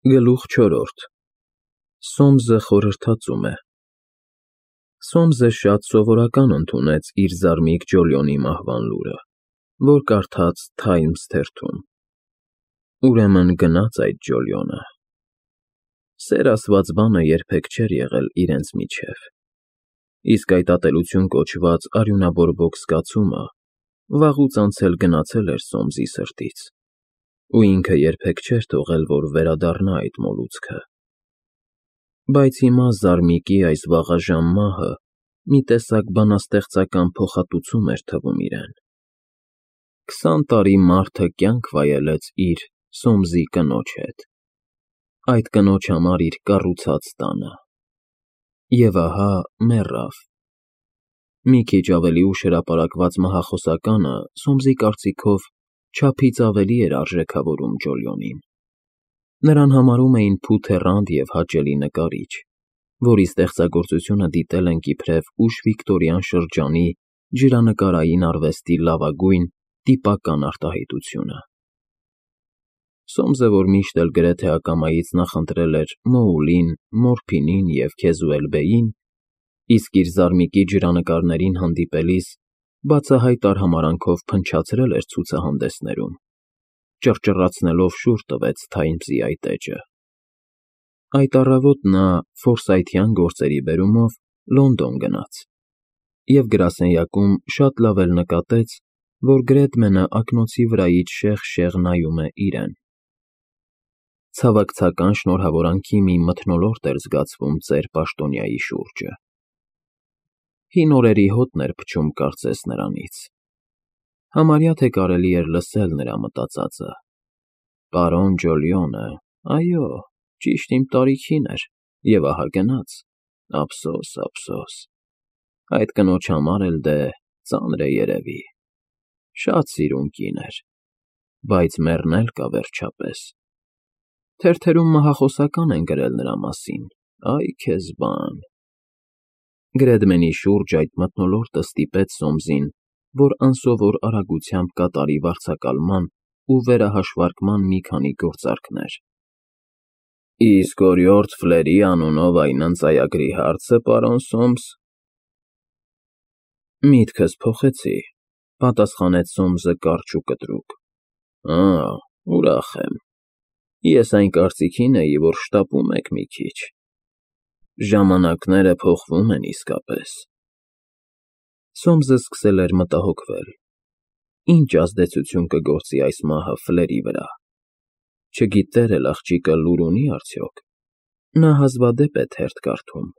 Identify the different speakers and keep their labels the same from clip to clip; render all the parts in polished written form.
Speaker 1: Գլուխ 4 Սոմսը խորհրդածում է Սոմսը շատ սովորական ընդունեց իր զարմիկ Ջոլիոնի մահվան լուրը, որ կարդաց Թայմս թերթում. Ուրեմն գնաց այդ Ջոլիոնը։ Սեր ասված բանը երբեք չէր եղել իրենց միջև, իսկ այդ ատելություն կոչված արյունաբորբոք զգացումը վաղուց անցել գնացել էր Սոմսի սրտից, ու ինքը երբեք չէր թողել, որ վերադառնա այդ մոլուցքը։ Բայց հիմա զարմիկի այս վաղաժամ մահը մի տեսակ բանաստեղծական փոխհատուցում էր թվում իրեն։ 20 տարի մարդը կյանք վայելեց իր Սոմսի կնոջ հետ, այդ կնոջ համար իր կառուցած տանը, և ահա մեռավ։ Մի քիչ ավելի ուշ հրապարակված մահախոսականը Սոմսի կարծիքով չափից ավելի էր արժեքավորում Ջոլիոնին։ Նրան համարում էին փութեռանդ և հաճելի նկարիչ, որի ստեղծագործությունը դիտել ենք իբրև ուշ վիկտորյան շրջանի ջրանկարային արվեստի լավագույն տիպական արտահայտությունը։ Սոմսը, որ միշտ էլ գրեթե ակամայից նախընտրել էր Մոուլին, Մորփինին և Քեզուելբեին, իսկ իր զարմիկի ջրանկարներին հանդիպելիս բացահայտ արհամարհանքով փնչացրել էր ցուցահանդեսներում, ճռճռացնելով շուռ տվեց Թայմսի այդ էջը։ Այդ առավոտ նա ֆորսայթյան գործերի բերումով Լոնդոն գնաց և գրասենյակում շատ լավ էլ նկատեց, որ Գրեդմենը ակնոցի վրայից շեղ նայում է իրեն։ Ցավակցական շնորհավորանքի մի մթնոլորտ էր զգացվում ծեր պաշտոնյայի շուրջը։ Հին օրերի հոտն էր փչում կարծես նրանից։ Համարյա թե կարելի էր լսել նրա մտածածը. Պարոն Ջոլիոնը, այո, ճիշտ իմ տարիքին էր, և ահա գնաց, ափսոս, ափսոս, այդ կնոջ համար էլ դե ծանր է երևի, շատ սիրուն կին էր, բայց մեռնել կա վերջապես։ Թերթերում մահախոսական են գրել նրա մասին, այ քեզ բան։ Գրեդմենի շուրջ այդ մթնոլորտը ստիպեց Սոմսին, որ անսովոր արագությամբ կատարի վարձակալման ու վերահաշվարկման մի քանի գործարքներ։ Իսկ օրիորդ Ֆլերի անունով այն ընծայագրի հարցը, պարոն Սոմս։ Միտքս փոխեցի, պատասխանեց Սոմսը կարճ ու կտրուկ։ Ուրախ եմ։ Ես այն կարծիքին էի, որ շտապում եք մի քիչ։ Ժամանակները փոխվում են իսկապես։ Սոմսը սկսել էր մտահոգվել. ինչ ազդեցություն կգործի այս մահը Ֆլերի վրա։ Չգիտեր էլ աղջիկը լուր ունի՞ արդյոք։ Նա հազվադեպ է թերթ կարդում,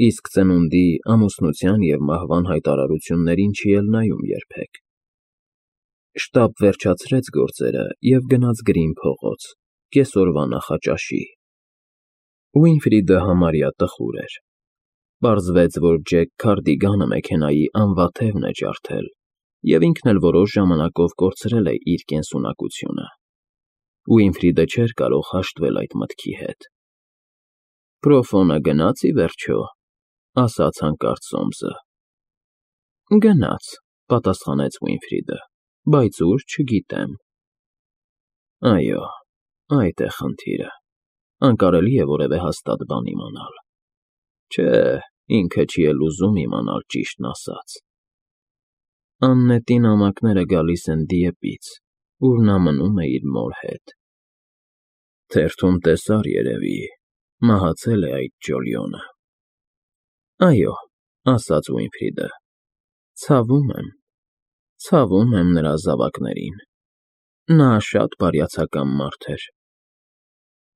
Speaker 1: իսկ ծնունդի, ամուսնության և մահվան հայտարարություններին չի էլ նայում երբեք։ Շտապ վերջացրեց գործերը և գնաց Գրին փողոց, կեսօրվա նախաճաշի։ Ուինֆրիդը համարյա տխուր էր։ Պարզվեց, որ Ջեք Քարդիգանը մեքենայի անվաթևն է ջարդել և ինքն էլ որոշ ժամանակով կորցրել է իր կենսունակությունը։ Ուինֆրիդը չէր կարող հաշտվել այդ մտքի հետ։ Պրոֆոնը գնաց ի վերջո, ասաց հանկարծ Սոմսը։ Գնաց, պատասխանեց Ուինֆրիդը, բայց ուր չգիտեմ։ Այո, այդ է խնդիրը, անկարելի է որևէ հաստատ բան իմանալ։ Չէ, ինքը չի էլ ուզում իմանալ ճիշտն ասած։ Աննետի նամակները գալիս են Դիեպից, ուր նա մնում է իր մոր հետ։ Թերթում տեսար երևի, մահացել է այդ Ջոլիոնը։ Այո, ասաց Ուինֆրիդը, ցավում եմ նրա զավակներին։ Նա շատ բարյացակամ մարդ էր։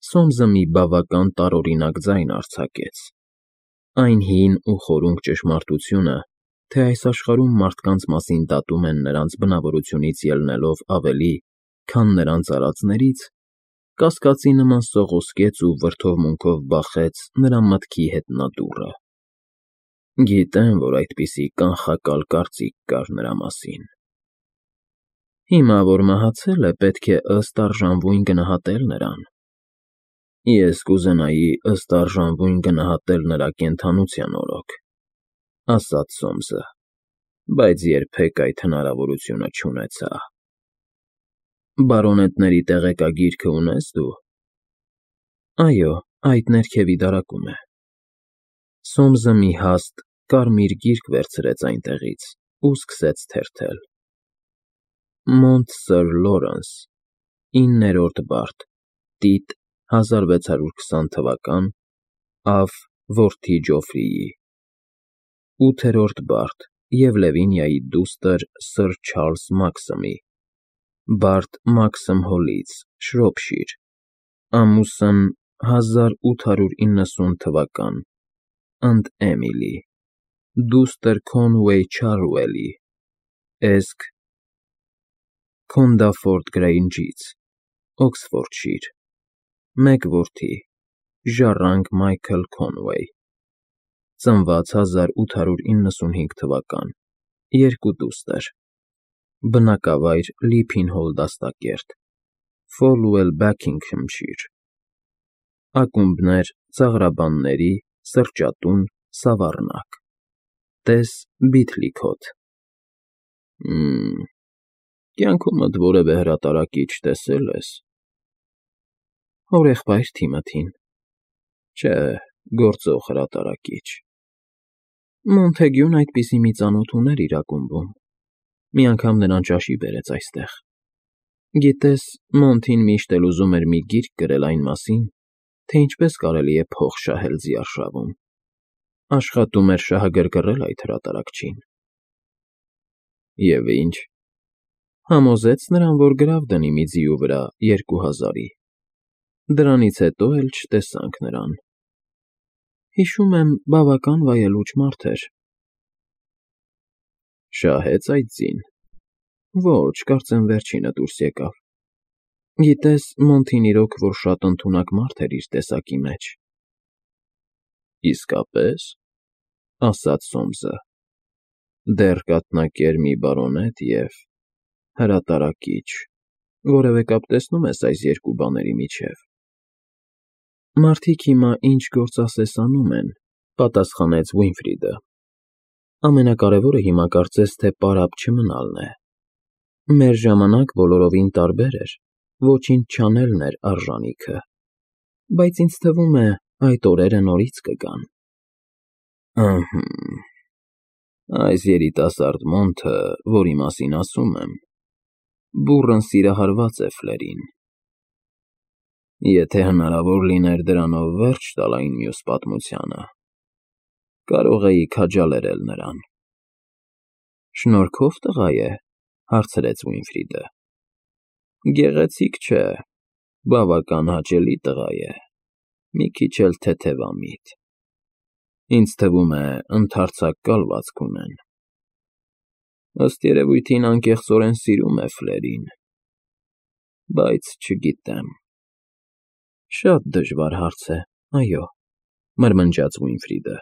Speaker 1: Սոմսը մի բավական տարօրինակ ձայն արձակեց։ Այն հին ու խորունկ ճշմարտությունը, թե այս աշխարհում մարդկանց մասին դատում են նրանց բնավորությունից ելնելով ավելի, քան նրանց արածներից, կասկածի նման սողոսկեց ու վրդովմունքով բախեց նրա մտքի հետնադուռը։ Գիտեմ, որ այդպիսի կանխակալ կարծիք կար նրա մասին։ Հիմա, որ մահացել է, պետք է ըստ արժանվույն գնահատել նրան։ Ես կուզենայի ըստ արժանվույն գնահատել նրա կենդանության օրոք, ասաց Սոմսը, բայց երբեք այդ հնարավորությունը չունեցա։ Բարոնետների տեղեկագիրքը ունե՞ս դու։ Այո, այդ ներքևի դարակում է։ Սոմսը մի հաստ կարմիր գիրք վերցրեց այնտեղից ու սկսեց թերթել. Մոնտ Սըր Լորենս, 9-րդ բարդ, տիտ 1620 թվական, Ավ որդի Ջոֆրիի, 8-րդ բարդ և Լևինիայի դուստր Սըր Չարլզ Մաքսըմի, բարդ Մաքսըմ Հոլից, Շրոփշիր, ամուսն 1890 թվական, ընդ Էմիլի, դուստր Քոնուեյ Չարուելի, էզք Քոնդաֆորդ Գրեյնջից, Օքսֆորդշիր, մեկ որդի, Ժառանգ Մայքլ Քոնուեյ, ծնված 1895 թվական, երկու դուստր, բնակավայր Լիփին-Հոլ դաստակերտ, Ֆոլուել Բաքինգհեմշիր, ակումբներ ծաղրաբանների, սրճատուն, Սավառնակ, տես Բիթլիքոթ։ Կյանքումդ որևէ հրատարակիչ տեսել ես։ Հորեղբայր Թիմոթին։ Չէ, գործող հրատարակիչ։ Մոնթեգյուն այդպիսի մի ծանոթ ուներ իր ակումբում։ Մի անգամ նրան ճաշի բերեց այստեղ։ Գիտես, Մոնթին միշտ էլ ուզում էր մի գիրք գրել այն մասին, թե ինչպես կարելի է փող շահել ձիարշավում։ Աշխատում էր շահագրգռել այդ հրատարակչին։ Եվ ինչ։ Համոզեց նրան, որ գրավ դնի մի ձիու վրա 2000-ի։ Դրանից հետո էլ չտեսանք նրան։ Հիշում եմ, բավական վայելուչ մարդ էր։ Շահեց այդ ձին։ Ոչ, կարծեմ վերջինը դուրս եկավ։ Գիտես, Մոնթին իրոք որ շատ ընդունակ մարդ էր իր տեսակի մեջ։ Իսկապես, ասաց Սոմսը, դեռ կաթնակեր մի բարոնետ և հրատարակիչ, որևէ կապ տեսնում ես այս երկու բաների միջև։ Մարդիկ հիմա ինչ գործ ասես անում են, պատասխանեց Ուինֆրիդը։ Ամենակարևորը հիմա կարծես թե պարապ չմնալն է։ Մեր ժամանակ բոլորովին տարբեր էր, ոչինչ չանելն էր արժանիքը, բայց ինձ թվում է, այդ օրերը նորից կգան։ Ըհը, այս երիտասարդ Մոնթը, որի մասին ասում եմ, բուռն սիրահարված է Ֆլերին։ Եթե հնարավոր լիներ դրանով վերջ տալ այն մյուս պատմությանը, կարող էի քաջալերել նրան։ Շնորհքով տղա է, հարցրեց Ուինֆրիդը։ Գեղեցիկ չէ, բավական հաճելի տղա է, մի քիչ էլ թեթևամիտ։ Ինձ թվում է, ընդարձակ կալվածք ունեն։ Ըստ երևույթին անկեղծորեն սիրում է Ֆլերին, բայց չգիտեմ։ Շատ դժվար հարց է, այո, մրմնջաց Ուինֆրիդը։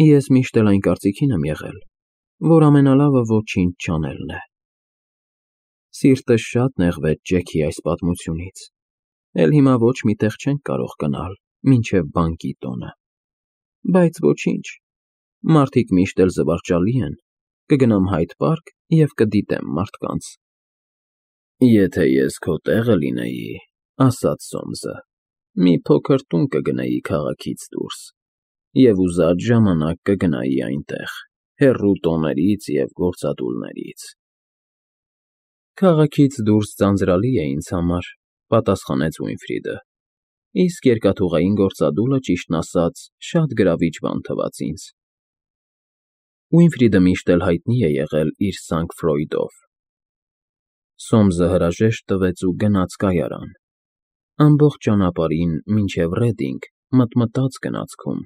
Speaker 1: Ես միշտ էլ այն կարծիքին եմ եղել, որ ամենալավը ոչինչ չանելն է։ Սիրտս շատ նեղվեց Ջեքի այս պատմությունից, էլ հիմա ոչ մի տեղ չենք կարող գնալ, մինչև բանկի տոնը։ Բայց ոչինչ, մարդիկ միշտ էլ զվարճալի են, կգնամ Հայդ պարկ և կդիտեմ մարդկանց։ Եթե ես քո տեղը լինեի, ասաց Սոմսը, մի փոքր տուն կգնեի քաղաքից դուրս և ուզած ժամանակ կգնայի այնտեղ, հեռու տոներից և գործադուլներից։ Քաղաքից դուրս ձանձրալի է ինձ համար, պատասխանեց Ուինֆրիդը, իսկ երկաթուղային գործադուլը, ճիշտն ասած, շատ գրավիչ բան թվաց ինձ։ Ուինֆրիդը միշտ էլ հայտնի է եղել իր Սանկտ֊Ֆրոյդով։ Սոմսը հրաժեշտ տվեց ու գնաց կայարան։ Ամբողջ ճանապարհին մինչև Ռեդինգ մտմտաց գնացքում.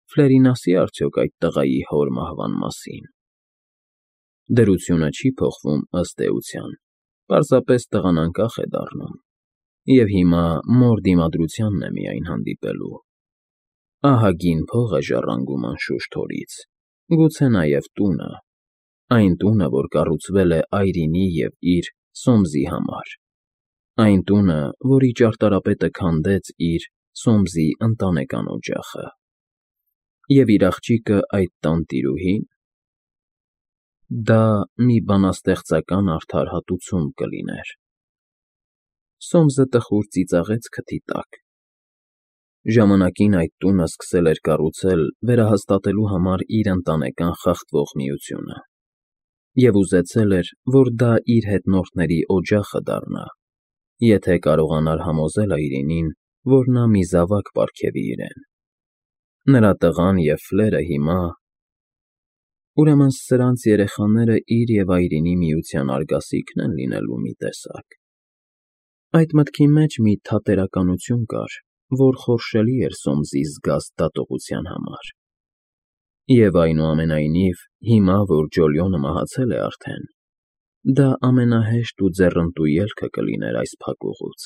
Speaker 1: Ֆլերին ասի՞ արդյոք այդ տղայի հոր մահվան մասին։ Դրությունը չի փոխվում ըստ էության, պարզապես տղան անկախ է դառնում, և հիմա մոր դիմադրությանն է միայն հանդիպելու։ Ահագին փող է ժառանգում անշուշտ հորից, գուցե նաև տունը, այն տունը, որ կառուցվել է այրինի և իր՝ Սոմսի համար, այն տունը, որի ճարտարապետը քանդեց իր՝ Սոմսի ընտանեկան օջախը։ Եվ իր աղջիկը այդ տան տիրուհի՞ն։ Դա մի բանաստեղծական արդարհատուցում կլիներ։ Սոմսը տխուր ծիծաղեց քթի տակ, Ժամանակին այդ տունը սկսել էր կառուցել վերահաստատելու համար իր ընտանեկան խախտվող միությունը, և ուզեցել էր, որ դա իր հետնորդների օջախը դառնա, եթե կարողանար համոզել այրինին, որ նա մի զավակ պարգևի իրեն։ Նրա տղան և Ֆլերը հիմա… Ուրեմն սրանց երեխաները իր և այրինի միության արգասիքն են լինելու մի տեսակ… Այդ մտքի մեջ մի թատերականություն կար, որ խորշելի էր Սոմսի զգաստ դատողության համար։ Եվ այնուամենայնիվ, հիմա, որ Ջոլիոնը մահացել է արդեն, դա ամենահեշտ ու ձեռնտու ելքը կլիներ այս փակուղուց.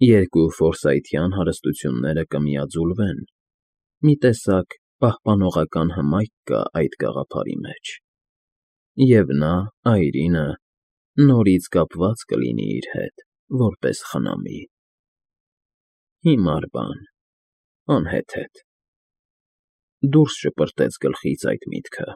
Speaker 1: երկու ֆորսայթյան հարստությունները կմիաձուլվեն, մի տեսակ պահպանողական հմայք կա այդ գաղափարի մեջ, և նա, այրինը, նորից կապված կլինի իր հետ, որպես խնամի… Հիմար բան, անհեթեթ… Դուրս շպրտեց գլխից այդ միտքը։